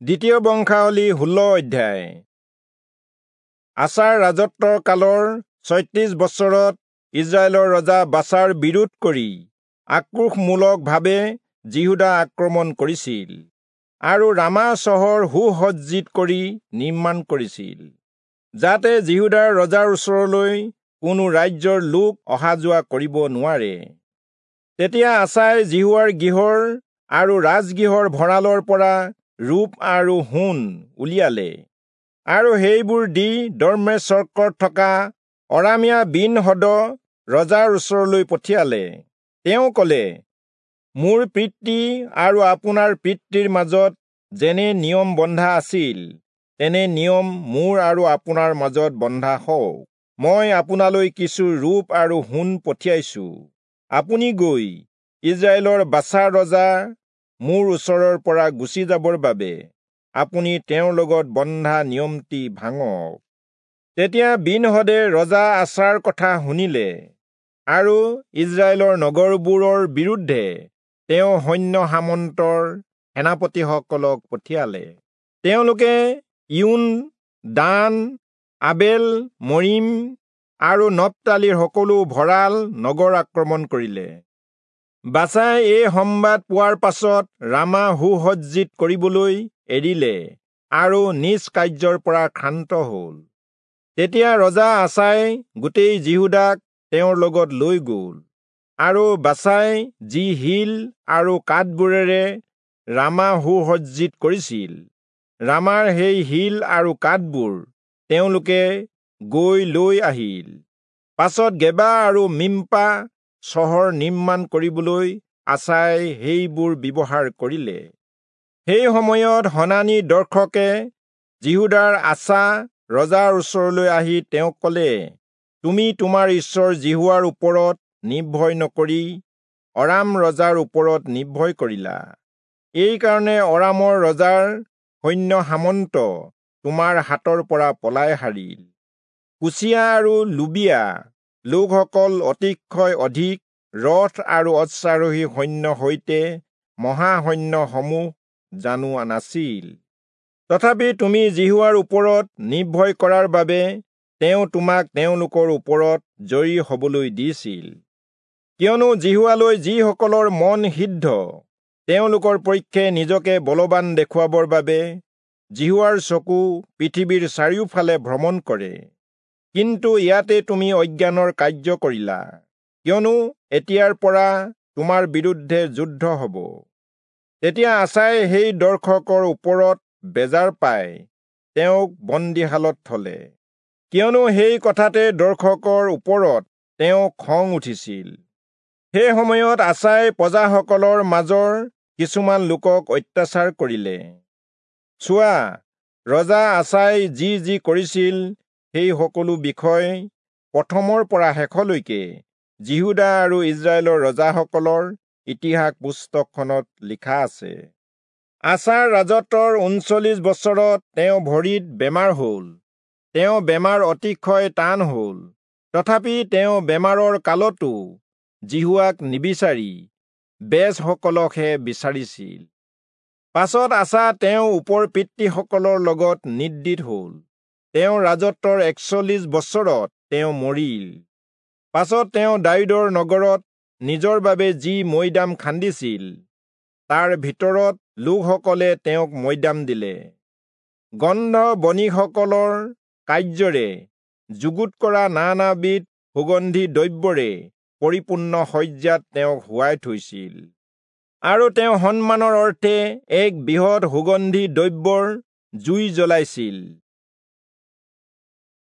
দ্বিতীয় বংশাৱলী 16 অধ্যায়। আচাৰ ৰাজত্বৰ কালৰ 36 বছৰত ইজৰাইলৰ ৰজা বাচাৰ বিৰোধ কৰি আক্ৰোশমূলকভাৱে যিহূদা আক্ৰমণ কৰিছিল আৰু ৰামা চহৰ সুসজ্জিত কৰি নিৰ্মাণ কৰিছিল, যাতে যিহূদাৰ ৰজাৰ ওচৰলৈ কোনো ৰাজ্যৰ লোক অহা যোৱা কৰিব নোৱাৰে। তেতিয়া আচাই যিহোৱাৰ গৃহৰ আৰু ৰাজগৃহৰ ভঁৰালৰ পৰা ৰূপ আৰু সোণ উলিয়ালে আৰু সেইবোৰ দি দম্মেচকত থকা অৰামীয়া বিন-হদদ ৰজাৰ ওচৰলৈ পঠিয়ালে। তেওঁ কলে, মোৰ পিতৃ আৰু আপোনাৰ পিতৃৰ মাজত যেনে নিয়ম বন্ধা আছিল, তেনে নিয়ম মোৰ আৰু আপোনাৰ মাজত বন্ধা হওক। মই আপোনালৈ কিছু ৰূপ আৰু সোণ পঠিয়াইছো। আপুনি গৈ ইজৰাইলৰ বাচা ৰজা মোৰ ওচৰৰ পৰা গুচি যাবৰ বাবে আপুনি তেওঁৰ লগত বন্ধা নিয়মটি ভাঙক। তেতিয়া বিন-হদে ৰজা আচাৰ কথা শুনিলে আৰু ইজৰাইলৰ নগৰবোৰৰ বিৰুদ্ধে তেওঁ সৈন্য সামন্তৰ সেনাপতিসকলক পঠিয়ালে। তেওঁলোকে ইউন, দান, আবেল, মৰিম আৰু নপ্তালীৰ সকলো ভঁৰাল নগৰ আক্ৰমণ কৰিলে। বাচাই এই সম্বাদ পোৱাৰ পাছত ৰামা সুসজ্জিত কৰিবলৈ এৰিলে আৰু নিজ কাৰ্যৰ পৰা ক্ষান্ত হল। তেতিয়া ৰজা আচাই গোটেই যিহূদাক তেওঁৰ লগত লৈ গল আৰু বাচাই যি শিল আৰু কাঠবোৰেৰে ৰামা সুসজ্জিত কৰিছিল, ৰামাৰ সেই শিল আৰু কাঠবোৰ তেওঁলোকে গৈ লৈ আহিল। পাছত গেবা আৰু মিম্পা চহৰ নিৰ্মাণ কৰিবলৈ আচাই সেইবোৰ ব্যৱহাৰ কৰিলে। সেই সময়ত হনানি দৰ্শকে যিহূদাৰ আচা ৰজাৰ ওচৰলৈ আহি তেওঁক কলে, তুমি তোমাৰ ঈশ্বৰ যিহোৱাৰ ওপৰত নিৰ্ভয় নকৰি অৰাম ৰজাৰ ওপৰত নিৰ্ভয় কৰিলা। এইকাৰণে অৰামৰ ৰজাৰ সৈন্য সামন্ত তোমাৰ হাতৰ পৰা পলাই সাৰিল। কুচীয়া আৰু লুবিয়া লোকসকল অতিশয় অধিক ৰথ আৰু অশ্বাৰোহী সৈন্য সৈতে মহাসৈন্যসমূহ জানো নাছিল। তথাপি তুমি যিহোৱাৰ ওপৰত নিৰ্ভয় কৰাৰ বাবে তেওঁ তোমাক তেওঁলোকৰ ওপৰত জয়ী হবলৈ দিছিল। কিয়নো যিহোৱালৈ যিসকলৰ মন সিদ্ধ, তেওঁলোকৰ পক্ষে নিজকে বলৱান দেখুৱাবৰ বাবে যিহোৱাৰ চকু পৃথিৱীৰ চাৰিওফালে ভ্ৰমণ কৰে। কিন্তু ইয়াতে তুমি অজ্ঞানৰ কাৰ্য কৰিলা, কিয়নো এতিয়াৰ পৰা তোমাৰ বিৰুদ্ধে যুদ্ধ হব। তেতিয়া আচাই সেই দৰ্শকৰ ওপৰত বেজাৰ পাই তেওঁক বন্দীশালত থলে, কিয়নো সেই কথাতে দৰ্শকৰ ওপৰত তেওঁ খং উঠিছিল। সেই সময়ত আচাই প্ৰজাসকলৰ মাজৰ কিছুমান লোকক অত্যাচাৰ কৰিলে। চোৱা, ৰজা আচাই যি যি কৰিছিল সেই সকলো বিষয় প্ৰথমৰ পৰা শেষলৈকে যিহূদা আৰু ইজৰাইলৰ ৰজাসকলৰ ইতিহাস পুস্তকখনত লিখা আছে। আচাৰ ৰাজত্বৰ 39 বছৰত তেওঁ ভৰিত বেমাৰ হল। তেওঁ বেমাৰ অতিশয় টান হল। তথাপি তেওঁ বেমাৰৰ কালতো যিহোৱাক নিবিচাৰি বেজসকলকহে বিচাৰিছিল। পাছত আচা তেওঁ ওপৰ পিতৃসকলৰ লগত নিদ্ৰিত হল। তেওঁ ৰাজত্বৰ 41 বছৰত তেওঁ মৰিল। পাছত তেওঁ দায়ূদৰ নগৰত নিজৰ বাবে যি মৈদাম খান্দিছিল, তাৰ ভিতৰত লোকসকলে তেওঁক মৈদাম দিলে। গন্ধ বণিকসকলৰ কাৰ্যৰে যুগুত কৰা নানাবিধ সুগন্ধি দ্ৰব্যৰে পৰিপূৰ্ণ শয্যাত তেওঁক শুৱাই থৈছিল। আৰু তেওঁ সন্মানৰ অৰ্থে এক বৃহৎ সুগন্ধি দ্ৰব্যৰ জুই জ্বলাইছিল।